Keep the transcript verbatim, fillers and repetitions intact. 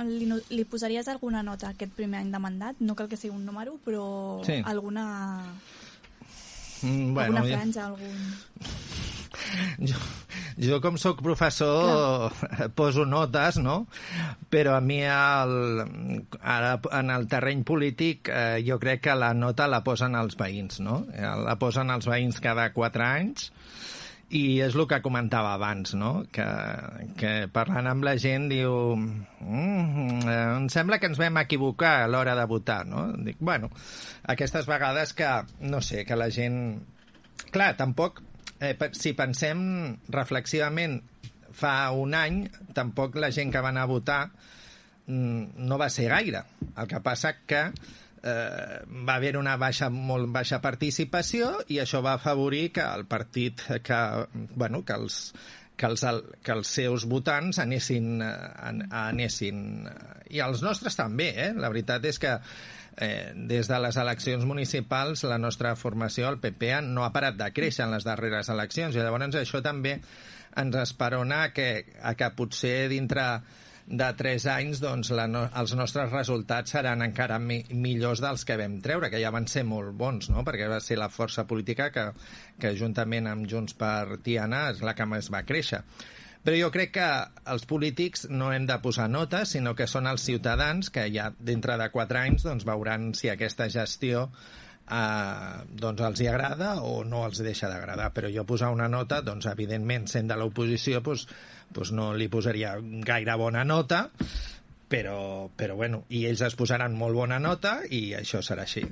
li, li posaries alguna nota aquest primer any de mandat? No cal que sigui un número, però sí. alguna... Mm, bueno, alguna franja, algun... Jo, jo com sóc professor Clar. poso notes, no? Però a mi el, ara en el terreny polític eh, jo crec que la nota la posen els veïns, no? La posen els veïns cada quatre anys i és el que comentava abans, no? Que, que parlant amb la gent diu mm, em sembla que ens vam equivocar a l'hora de votar, no? Dic, bueno, aquestes vegades que, no sé, que la gent... Clar, tampoc... Eh, si pensem reflexivament fa un any, tampoc la gent que va anar a votar mm, no va ser gaire. El que passa que eh, va haver una baixa, molt baixa participació i això va afavorir que el partit, que, bueno, que els, que els, que els seus votants anessin, anessin... I els nostres també, eh? La veritat és que Eh, des de les eleccions municipals la nostra formació, el P P, no ha parat de créixer en les darreres eleccions i llavors això també ens esperona que, a que potser dintre de tres anys doncs, la no, els nostres resultats seran encara mi, millors dels que vam treure, que ja van ser molt bons, no? Perquè va ser la força política que, que juntament amb Junts per Tiana és la que més va créixer. Però jo crec que els polítics no hem de posar notes, sinó que són els ciutadans que ja dintre de quatre anys doncs, veuran si aquesta gestió eh, doncs els hi agrada o no els deixa d'agradar. Però jo posar una nota, doncs, evidentment, sent de l'oposició, doncs, doncs no li posaria gaire bona nota, però, però bueno, i ells es posaran molt bona nota i això serà així.